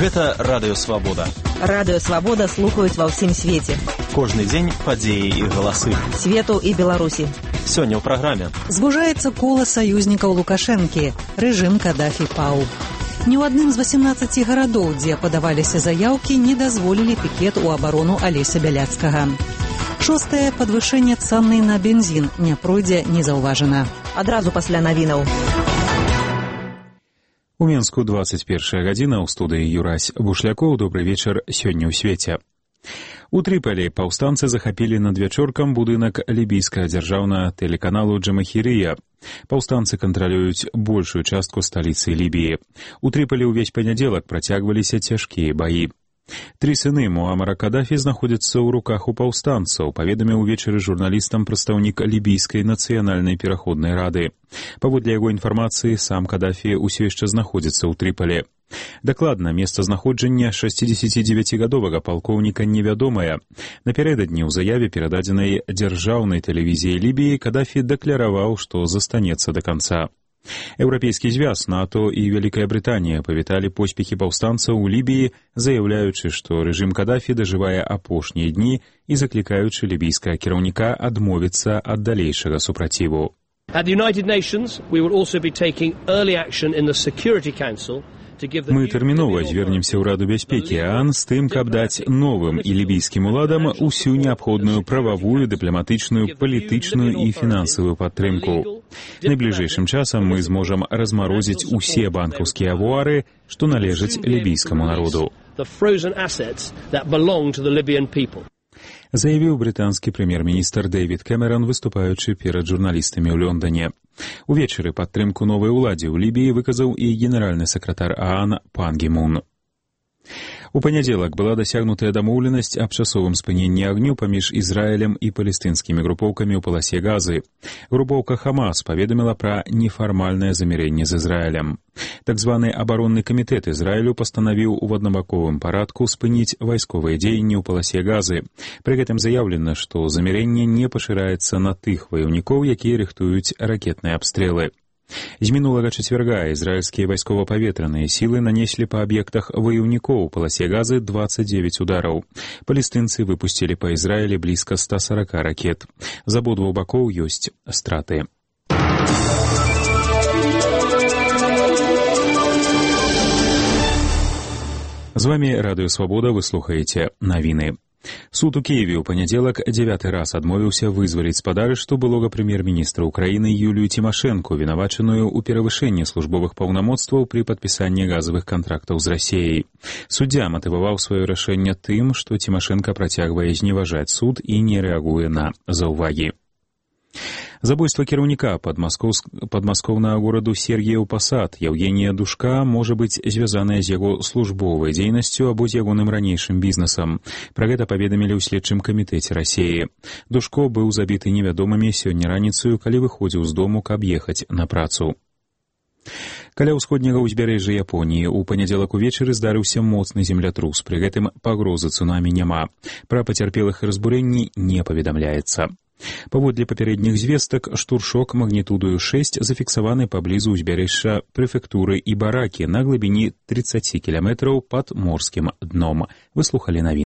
Гэта Радыё Свабода. Радыё Свабода слухаюць ва ўсім свеце. Кожны дзень падзеі і галасы. Свету і Беларусі. Сёння ў праграме. Звужаецца кола саюзнікаў Лукашэнкі. Рэжым Кадафі паў. Ні ў адным з 18 гарадоў, дзе падаваліся заяўкі, не дазволілі пікет у абарону Алеся Бяляцкага. 6-е падвышэнне цаны на бензін не пройдзе незаўважана. Адразу пасля навінаў. У Менску 21 гадзіна, ў студыі Юрась Бушлякоў. Добры вечар сёння ў свеце. У Трыполі паўстанцы захапілі надвячоркам будынак лібійскага дзяржаўнага тэлеканалу Джамахірыя. Паўстанцы кантралююць большую частку сталіцы Лібіі. У Трыполі ўвесь панядзелак працягваліся цяжкія баі. 3 сыны Муамара Кадафі знаходзяцца ў руках у паўстанцаў, паведаміў увечары журналістам прадстаўнік лібійскай нацыянальнай пераходнай рады. Паводле яго інфармацыі, сам Кадафі ўсё яшчэ знаходзіцца ў Трыполі. Дакладна, месцазнаходжання 69-гадовага палкоўніка невядомае. Напярэдадні ў заяве, перададзенай дзяржаўнай тэлевізіяй Лібіі, Кадафі дэкляраваў, што застанецца да канца. Еўрапейскі звяз, НАТО і Вялікая Брытанія павіталі поспехі паўстанцаў у Лібіі, заяўляючы, што рэжым Кадафі дажывае апошнія дні і заклікаючы лібійскага кіраўніка адмовіцца ад далейшага супраціву. At the United Nations, we will also be taking early action in the Security Council. Мы тэрмінова звернемся ў Раду бяспекі ААН з тым, каб даць новым і лібійскім уладам усю неабходную прававую, дыпламатычную, палітычную і фінансавую падтрымку. Найбліжэйшым часам мы зможам размарозіць усе банкаўскія авуары, што належаць лібійскаму народу. Заявіў брытанскі прэм'ер-міністр Дэвід Кэмерон, выступаючы перад журналістамі ў Лондоне. Увечары падтрымку новай уладзе ў Лібіі выказаў і генеральны сакратар ААН Пан Гі Мун. У панядзелак была дасягнутая дамоўленасць аб часовым спыненні агню паміж Ізраілем і палестынскімі групоўкамі ў паласе Газы. Групоўка Хамас паведаміла пра нефармальнае замірэнне з Ізраілем. Так званы абаронны камітэт Ізраілю пастанавіў у аднабаковым парадку спыніць вайсковыя дзеянні ў паласе Газы. Пры гэтым заяўлена, што замірэнне не пашыраецца на тых ваяўнікоў, якія рыхтуюць ракетныя абстрэлы. З мінулага чацвярга ізраільскія вайскова-паветраныя сілы нанеслі па аб'ектах ваяўнікоў у паласе Газы 29 удараў. Палестынцы выпусцілі па Ізраілі блізка 140 ракет. З абодвух бакоў ёсць страты. З вамі Радыё Свабода, вы слухаеце навіны. Суд у Киеве ў панядзелак 9 раз адмовіўся вызваліць з-пад арышту былога прэм'ер-міністра Украіны Юлію Тимошенко, вінавачаную ў перавышэнні службовых паўнамоцтваў пры падпісанні газавых кантрактаў з Расіяй. Суддзя матываваў сваё рашэнне тым, што Тимошенко працягвае зневажаць суд і не рэагуе на заўвагі. Забойства кіраўніка падмаскоўнага гораду Сергіяў Пасад Яўгенія Душка можа быць звязаная з яго службовай дзейнасцю або з ягоным ранейшым бізнесам. Пра гэта паведамілі ў следчым камітэце Расіі. Душко быў забіты невядомымі сёння раніцаю, калі выходзіў з дому, каб ехаць на працу. Каля ўсходняга ўзбярэжжа Японіі ў панядзелак увечары здарыўся моцны землятрус, пры гэтым пагрозы цунамі няма. Пра пацярпелых і разбурэнні не паведамляецца. Паводле папярэдніх звестак, штуршок магнітудою 6 зафіксаваны паблізу ўзбярэжжа прэфектуры Ібаракі на глыбіні 30 кіламетраў пад морскім дном. Вы слухалі навіны.